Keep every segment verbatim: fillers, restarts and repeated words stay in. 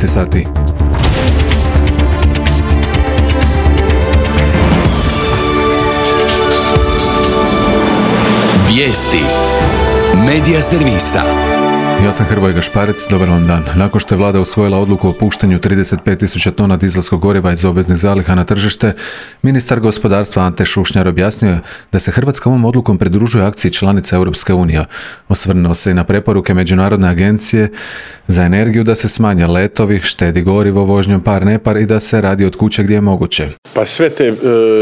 devet sati. Vijesti Medija servisa. Ja sam Hrvoje Gašparec, dobar vam dan. Nakon što je vlada usvojila odluku o puštanju trideset pet tisuća tona dizelskog goriva iz obveznih zaliha na tržište, ministar gospodarstva Ante Šušnjar objasnio je da se Hrvatska ovom odlukom pridružuje akciji članica Europske unije. Osvrnuo se i na preporuke Međunarodne agencije za energiju da se smanje letovi, štedi gorivo vožnjom par-nepar i da se radi od kuće gdje je moguće. Pa sve te e,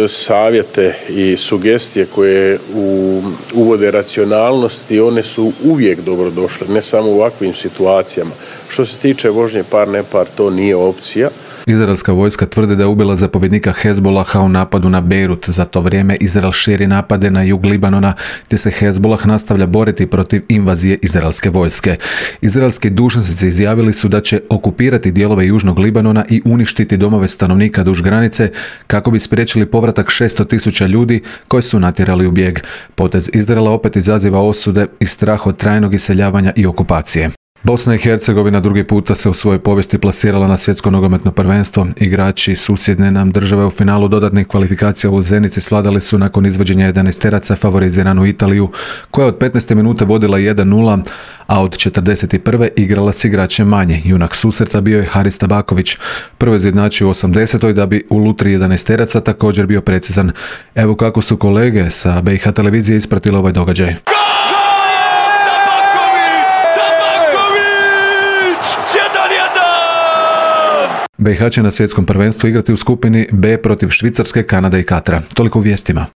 savjete i sugestije koje u, uvode racionalnosti, one su uvijek dobrodošle, ne samo u ovakvim situacijama. Što se tiče vožnje par-nepar, to nije opcija. Izraelska vojska tvrdi da je ubila zapovjednika Hezbolaha u napadu na Beirut. Za to vrijeme Izrael širi napade na jug Libanona, te se Hezbolah nastavlja boriti protiv invazije izraelske vojske. Izraelski dužnosnici izjavili su da će okupirati dijelove južnog Libanona i uništiti domove stanovnika duž granice kako bi spriječili povratak šesto tisuća ljudi koji su natjerali u bijeg. Potez Izraela opet izaziva osude i strah od trajnog iseljavanja i okupacije. Bosna i Hercegovina drugi puta se u svojoj povijesti plasirala na svjetsko nogometno prvenstvo. Igrači susjedne nam države u finalu dodatnih kvalifikacija u Zenici svladali su nakon izvođenja jedanaesteraca favoriziranu Italiju, koja od petnaeste minute vodila jedan nula, a od četrdeset prve igrala s igračem manje. Junak susreta bio je Haris Tabaković. Prvo izjednačio u osamdesetoj da bi u lutri jedanaesteraca također bio precizan. Evo kako su kolege sa B i H televizije ispratili ovaj događaj. B i H će na svjetskom prvenstvu igrati u skupini B protiv Švicarske, Kanade i Katra. Toliko u vijestima.